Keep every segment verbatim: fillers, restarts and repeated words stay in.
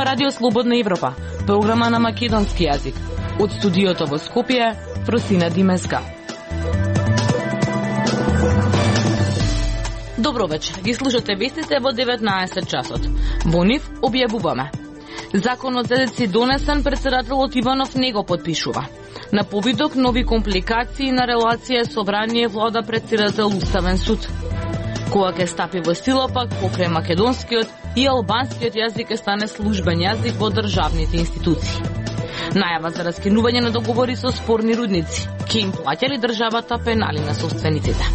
ова Радио Слободна Европа, програма на македонски јазик. Од студиото во Скопје, Фросина Димеска. Добро вечер, ги слушате вестите во деветнаесет часот. Во нив објавуваме. Законот за деци донесен, председателот Иванов не го подпишува. На повидок нови компликации на релација собрание влада председател Уставен суд. Кога ќе стапи во сила пак покрај македонскиот и албанскиот јазик ќе стане службен јазик во државните институции. Најава за раскинување на договори со спорни рудници. Ке им плаќа ли државата пенали на собствениците?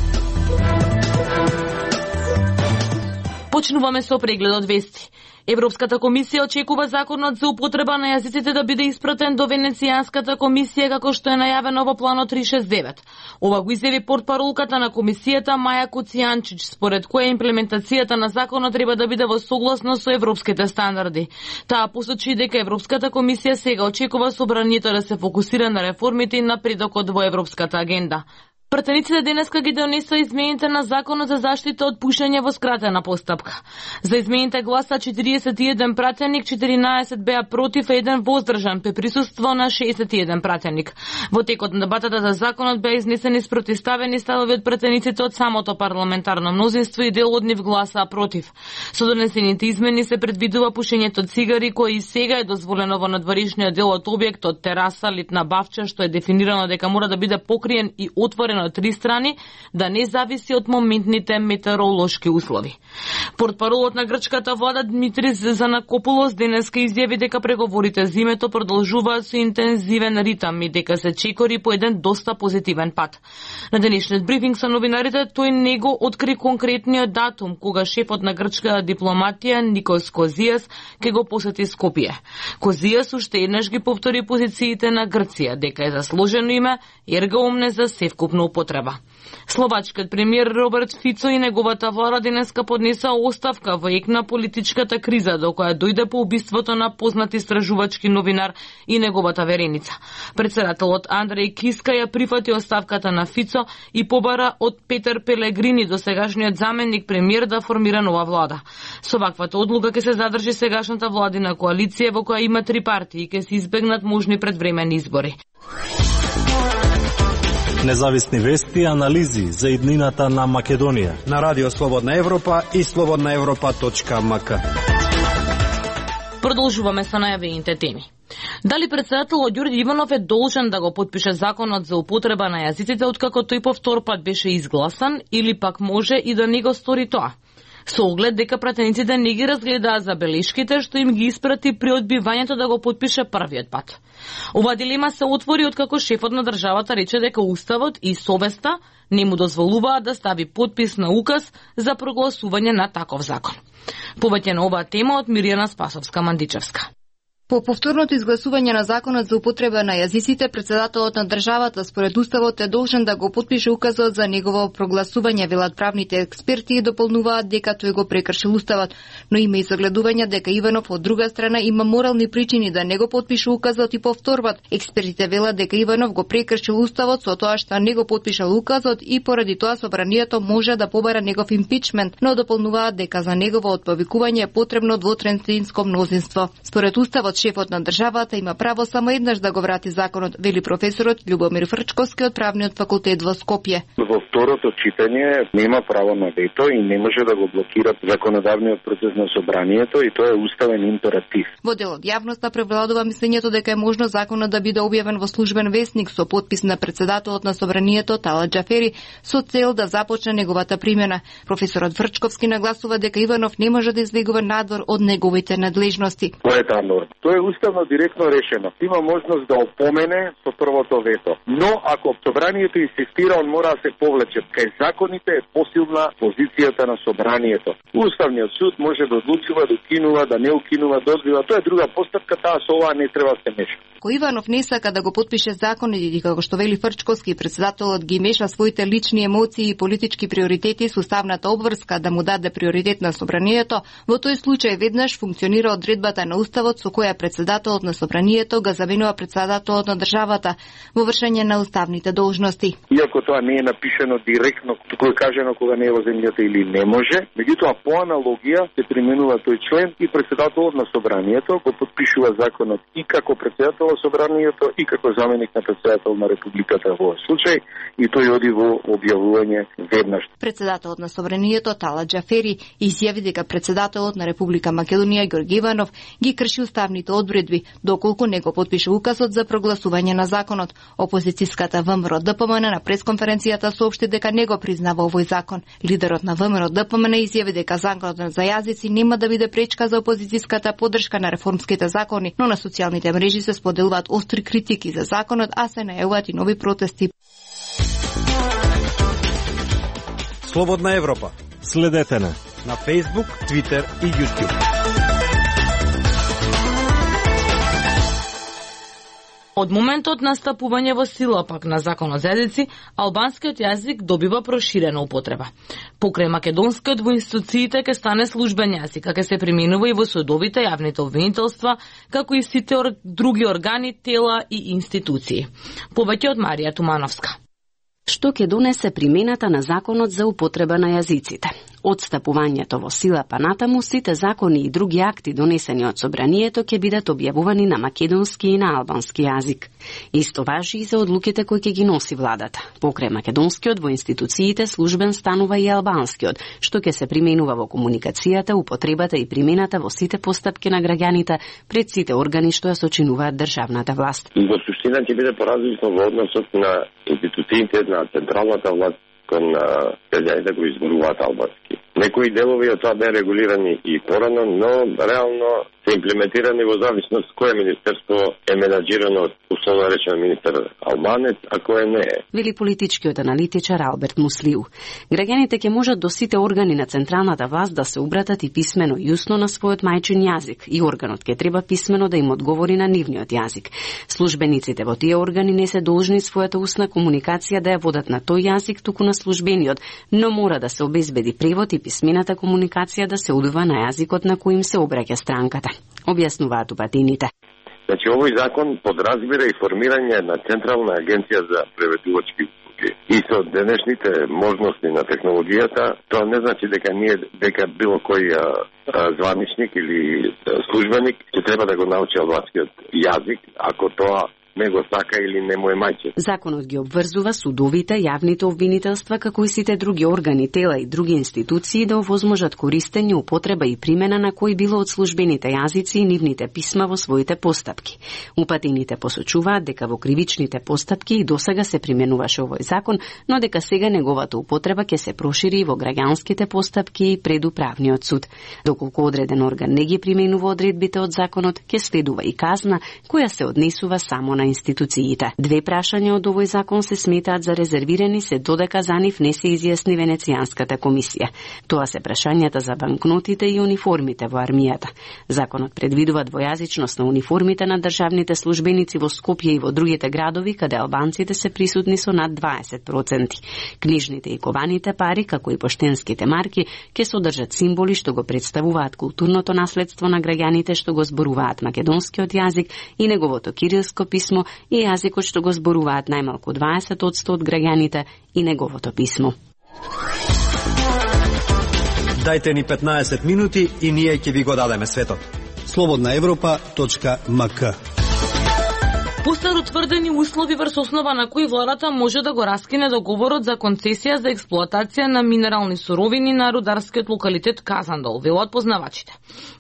Почнуваме со прегледот вести. Европската комисија очекува законот за употреба на јазиците да биде испратен до Венецијанската комисија како што е најавено во планот триста шесет девет. Ова го изјави портпаролката на комисијата Маја Куцијанчич, според која имплементацијата на законот треба да биде во согласно со европските стандарди. Таа посочи дека Европската комисија сега очекува собранието да се фокусира на реформите и напредокот во европската агенда. Пратениците денеска ги донесоа измените на законот за заштита од пушење во скратена постапка. За измените гласа четириесет и еден пратеник, четиринаесет беа против, еден воздржан при присуство на шеесет и еден пратеник. Во текот на дебатата за законот беа изнесени спротивставени ставови од пратениците од самото парламентарно мнозинство и дел од нив гласаа против. Со донесените измени се предвидува пушењето цигари, кој и сега е дозволено во надворешниот дел од објектот, тераса, литна бавча, што е дефинирано дека мора да биде покриен и отворен од три страни, да не зависи од моментните метеоролошки услови. Портпаролот на грчката влада Дмитрис Занакопулос денеска изјави дека преговорите за името продолжуваат со интензивен ритам и дека се чекори по еден доста позитивен пат. На денешниот брифинг со новинарите тој не го откри конкретниот датум кога шефот на грчката дипломатија Никос Козијас ќе го посети Скопје. Козијас уште еднаш ги повтори позициите на Грција дека е засложено име ерга омне за севкупно употреба. Словачкиот премиер Роберт Фицо и неговата влада денеска поднесаа оставка во ек на политичката криза до која дојде по убиството на познат истражувачки новинар и неговата вереница. Председателот Андреј Киска ја прифати оставката на Фицо и побара од Петер Пелегрини, досегашниот заменик премиер, да формира нова влада. Со ваквата одлука ќе се задржи сегашната владина коалиција во која има три партии и ќе се избегнат можни предвремени избори. Независни вести и анализи за иднината на Македонија на Радио Слободна Европа и слободна европа точка ем ка. Продолжуваме со најавените теми. Дали председателот Ѓорѓе Иванов е должен да го подпише законот за употреба на јазиците откако тој по втор пат беше изгласан, или пак може и да не го стори тоа? Со оглед дека пратениците не ги разгледаа забелешките што им ги испрати при одбивањето да го подпише првиот пат. Ова дилема се отвори откако шефот на државата рече дека уставот и совеста не му дозволуваат да стави подпис на указ за прогласување на таков закон. Повеќе на оваа тема од Мирјана Спасовска-Мандичевска. По повторното изгласување на законот за употреба на јазиците, председателот на државата според уставот е должен да го подпише указот за негово прогласување, велат правните експерти и дополнуваат дека тој го прекршил уставот, но има и загледување дека Иванов од друга страна има морални причини да не го подпише указот и повторбат. Експертите велат дека Иванов го прекршил уставот со тоа што не го подпишал указот и поради тоа собранието може да побара негов импичмент, но дополнуваат дека за негово отповикување е потребно двотретинско мнозинство. Според уставот шефот на државата има право само еднаш да го врати законот, вели професорот Љубомир Фрчковски од правниот факултет во Скопје. Во второто читање нема право на вето и не може да го блокира законодавниот процес на собранието и тоа е уставен императив. Во дел од јавноста превладува мислењето дека е можно законот да биде објавен во службен весник со подпис на председателот на собранието Талат Џафери со цел да започне неговата примена. Професорот Фрчковски нагласува дека Иванов не може да излегува надвор од неговите надлежности. Која е таа норма? Тоа е уставно директно решено. Има можност да опомене со првото вето. Но ако собранието инсистира, он мора да се повлече. Кај законите е посилна позицијата на собранието. Уставниот суд може да одлучува, да укинува, да не укинува, да одбива. Тоа е друга постапка, таа со ова не треба да се меша. Ко Иванов не сака да го подпише законот и како што вели Фрчковски, председателот ги меша своите лични емоции и политички приоритети со уставната обврска да му даде приоритет на собранието, во тој случај веднаш функционира одредбата на уставот со која председателот на собранието го заменува председателот на државата во вршење на уставните должности. Иако тоа не е напишано директно, туку е кажано кога не е во земјата или не може, меѓутоа по аналогија се применува тој член и председателот на собранието го подпишува законот и како председател на собранието и како заменик на председател на републиката во овој случај, и тој оди во објавување веднаш. Председателот на собранието Тала Џафери изјави дека председателот на Република Македонија Ѓорѓе Иванов ги крши уставните одредби доколку не го подпише указот за прогласување на законот. Опозицијската ВМРО ДПМН на пресконференцијата соопшти дека не го признава овој закон. Лидерот на ВМРО ДПМН изјави дека законот за јазици нема да биде пречка за опозицијската поддршка на реформските закони, но на социјалните мрежи се споделуваат остри критики за законот, а се најавуваат и нови протести. Слободна Европа. Следете на на Facebook, Twitter и YouTube. Од моментот на стапување во сила пак на законот за јазици, албанскиот јазик добива проширена употреба. Покрај македонскиот во институциите ќе стане службен јазик, а ќе се применува и во судовите, јавните обвинителства, како и сите ор... други органи, тела и институции. Повеќе од Марија Тумановска. Што ќе донесе примената на законот за употреба на јазиците? Од стапувањето во сила па натаму, сите закони и други акти донесени од собранието ќе бидат објавувани на македонски и на албански јазик. Исто важи и за одлуките кои ќе ги носи владата. Покрај македонскиот во институциите службен станува и албанскиот, што ќе се применува во комуникацијата, употребата и примената во сите постапки на граѓаните пред сите органи што ја сочинуваат државната власт. Во суштина ќе биде поразлично во односот на институциите на централната власт кон граѓаните кои изборуваат албански. Некои делови од тоа беа регулирани и порано, но реално се имплементирани во зависност кое министерство е менаџирано од условно речено министер албанец, а кое не е. Вели политичкиот аналитичар Алберт Муслиу. Граѓаните ќе можат до сите органи на централната власт да се обратат и писмено и усно на својот мајчин јазик, и органот ќе треба писмено да им одговори на нивниот јазик. Службениците во тие органи не се должни својата устна комуникација да ја водат на тој јазик, туку на службениот, но мора да се обезбеди превод и писмената комуникација да се одува на јазикот на кој им се обраќа странката. Објаснуваат упатините. Значи, овој закон подразбира и формирање на Централна агенција за преведувачки услуги. И со денешните можности на технологијата, тоа не значи дека ние дека било кој а, а, званичник или а, службеник ќе треба да го научи албанскиот јазик, ако тоа не го сака или не му е мајчин. Законот ги обврзува судовите, јавните обвинителства, како и сите други органи, тела и други институции да овозможат користење, употреба и примена на кои било од службените јазици и нивните писма во своите постапки. Упатените посочуваат дека во кривичните постапки и досега се применуваше овој закон, но дека сега неговата употреба ќе се прошири и во граѓанските постапки и пред управниот суд. Доколку одреден орган не ги применува одредбите од законот, ќе следува и казна која се однесува само на институциите. Две прашања од овој закон се сметаат за резервирани се додека за нив не се изјасни Венецијанската комисија. Тоа се прашањата за банкнотите и униформите во армијата. Законот предвидува двојазичност на униформите на државните службеници во Скопје и во другите градови каде албанците се присутни со над дваесет проценти. Книжните и кованите пари, како и поштенските марки, ќе содржат символи што го представуваат културното наследство на граѓаните што го зборуваат македонскиот јазик и неговото кирилско писмо и јазикот што го зборуваат најмалку дваесет одсто од граѓаните и неговото писмо. Дајте ни петнаесет минути и ние ќе ви го дадеме светот. слободна европа точка ем ка. Постар утврдени услови врз основа на кои владата може да го раскине договорот за концесија за експлоатација на минерални суровини на рударскиот локалитет Казандол, велат познавачите.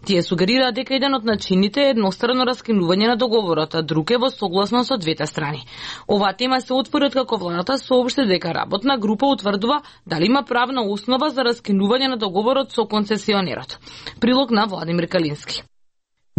Тие сугерираат дека еден од начините е еднострано раскинување на договорот, а друг е во согласност со двете страни. Оваа тема се отвори како владата соопшти дека работна група утврдува дали има правна основа за раскинување на договорот со концесионерот. Прилог на Владимир Калински.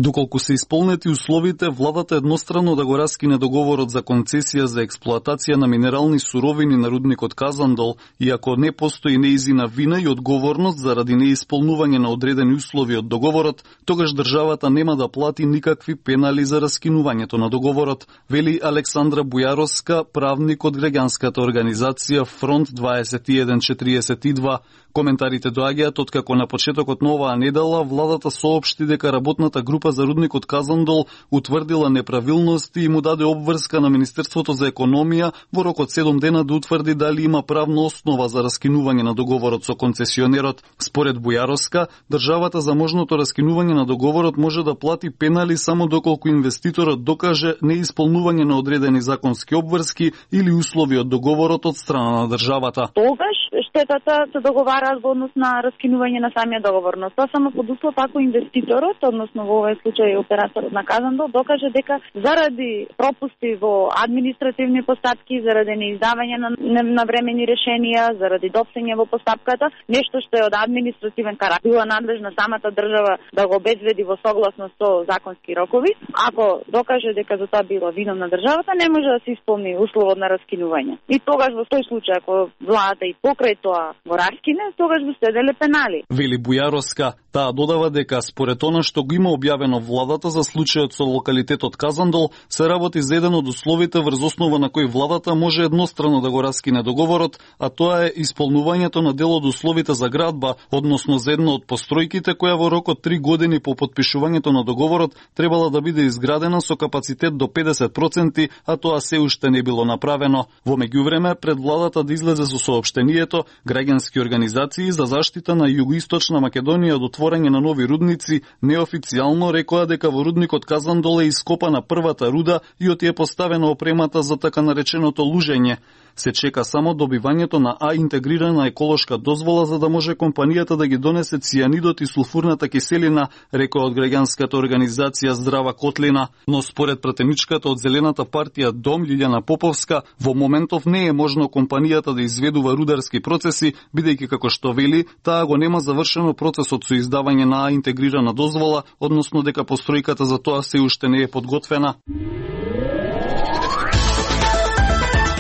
Доколку се исполнети условите, владата едностранно да го раскине договорот за концесија за експлоатација на минерални суровини на рудникот Казандол, и ако не постои неизина вина и одговорност заради неисполнување на одредени услови од договорот, тогаш државата нема да плати никакви пенали за раскинувањето на договорот, вели Александра Бујаровска, правник од граѓанската организација Фронт дваесет и еден четириесет и два, Коментарите доаѓаат откако на почетокот на оваа недела владата соопшти дека работната група за рудникот Казандол утврдила неправилности и му даде обврска на Министерството за економија во рок од седум дена да утврди дали има правна основа за раскинување на договорот со концесионерот. Според Бујаровска, државата за можното раскинување на договорот може да плати пенали само доколку инвеститорот докаже неисполнување на одредени законски обврски или услови од договорот од страна на државата. Тогаш штетата се договара во однос на раскинување на самиот договор, но тоа само под услов ако инвеститорот, односно во овој случај операторот на Казандол, докаже дека заради пропусти во административни постапки, заради неиздавање на навремени решенија, заради допсење во постапката, нешто што е од административен карактер, била надлежна самата држава да го обезбеди во согласност со законски рокови. Ако докаже дека за тоа била виновна државата, не може да се исполни условот на раскинување. И тогаш во тој случај ако владата и покрај тоа го раскине, тогаш го следеле пенали. Вели Бујаровска, таа додава дека според она што го има објавено владата за случајот со локалитетот Казандол, се работи за еден од условите врз основа на кој владата може еднострано да го раскине договорот, а тоа е исполнувањето на дел од условите за градба, односно за една од постројките која во рок од три години по подпишувањето на договорот требала да биде изградена со капацитет до педесет проценти, а тоа се уште не било направено. Во меѓувреме, пред владата да излезе со соопштението, граѓански организации за заштита на Југоисточна Македонија од отворање на нови рудници неофицијално рекоа дека во рудникот Казандол е ископана првата руда и оти е поставена опремата за така нареченото лужење. Се чека само добивањето на А интегрирана еколошка дозвола за да може компанијата да ги донесе цијанидот и сулфурната киселина, рекоа од граѓанската организација Здрава Котлина. Но според пратеничката од Зелената партија Дом Лилјана Поповска, во моментов не е можно компанијата да изведува рударски процеси, бидејќи како што вели, таа го нема завршено процесот со издавање на А интегрирана дозвола, односно дека постројката за тоа се уште не е подготвена.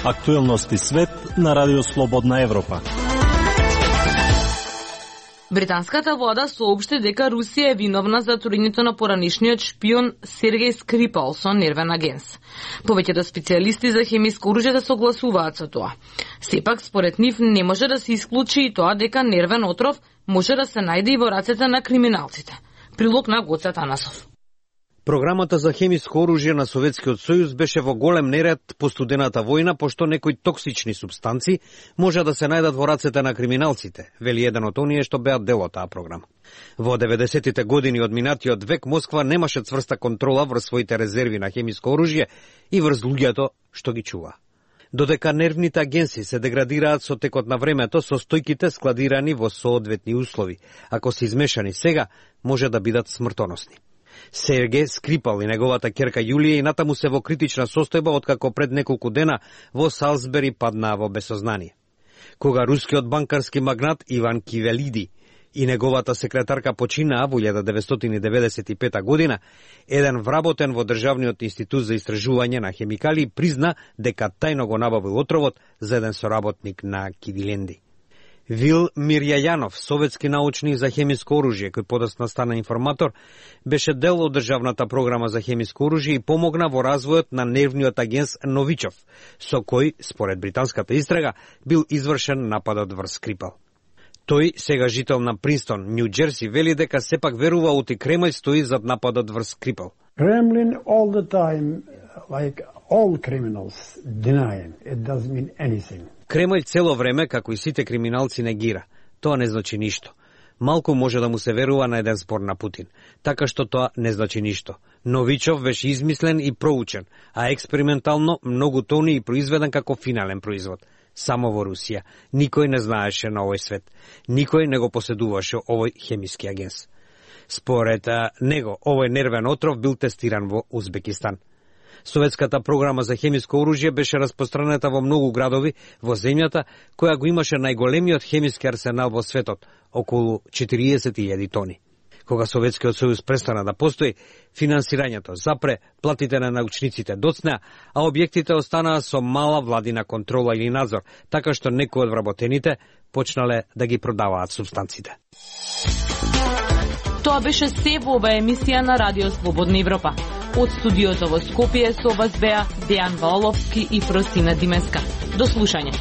Актуелности свет на Радио Слободна Европа. Британската влада соопшти дека Русија е виновна за турењето на поранишниот шпион Сергеј Скрипал со нервен агенс. Повеќето специјалисти за хемиско оружје да согласуваат со тоа. Сепак, според нив, не може да се исклучи и тоа дека нервен отров може да се најде и во рацете на криминалците. Прилог на Гоце Танасов. Програмата за хемиско оружје на Советскиот сојуз беше во голем неред по студената војна, пошто некои токсични супстанци може да се најдат во рацете на криминалците, вели еден од оние што беа дел од таа програма. Во деветдесетите години од минатиот век Москва немаше цврста контрола врз своите резерви на хемиско оружје и врз луѓето што ги чува. Додека нервните агенси се деградираат со текот на времето, состојките складирани во соодветни услови, ако се измешани сега, може да бидат смртоносни. Сергеј Скрипал и неговата ќерка Јулија и натаму се во критична состојба откако пред неколку дена во Салзбери паднаа во безсознание. Кога рускиот банкарски магнат Иван Кивелиди и неговата секретарка починаа во илјада деветстотини деветдесет и пета година, еден вработен во Државниот институт за истражување на хемикали призна дека тајно го набавил отровот за еден соработник на Кивиленди. Вил Мирјајанов, советски научник за хемиско оружје, кој подоцна стана информатор, беше дел од државната програма за хемиско оружје и помогна во развојот на нервниот агенс Новичов, со кој, според британската истрага, бил извршен нападот врз Скрипал. Тој, сега жител на Принстон, Нью Џерси, вели дека сепак верува оти Кремљ стои зад нападот врз Скрипал. Kremlin all the time, like all criminals, denying it doesn't mean anything. Кремљ цело време, како и сите криминалци, негира. Тоа не значи ништо. Малку може да му се верува на еден спор на Путин, така што тоа не значи ништо. Новичов беше измислен и проучен, а експериментално многу тони и произведен како финален производ. Само во Русија. Никој не знаеше на овој свет. Никој не го поседуваше овој хемиски агенс. Според него, овој нервен отров бил тестиран во Узбекистан. Советската програма за хемиско оружје беше распространета во многу градови во земјата, која го имаше најголемиот хемиски арсенал во светот, околу четириесет илјади тони. Кога Советскиот сојуз престана да постои, финансирањето запре, платите на научниците доцнеа, а објектите останаа со мала владина контрола или надзор, така што некои од вработените почнале да ги продаваат субстанците. Тоа беше се во оваа емисија на Радио Слободна Европа. Од студиото во Скопје со вас беа Дејан Ваоловски и Просина Димеска. До слушање.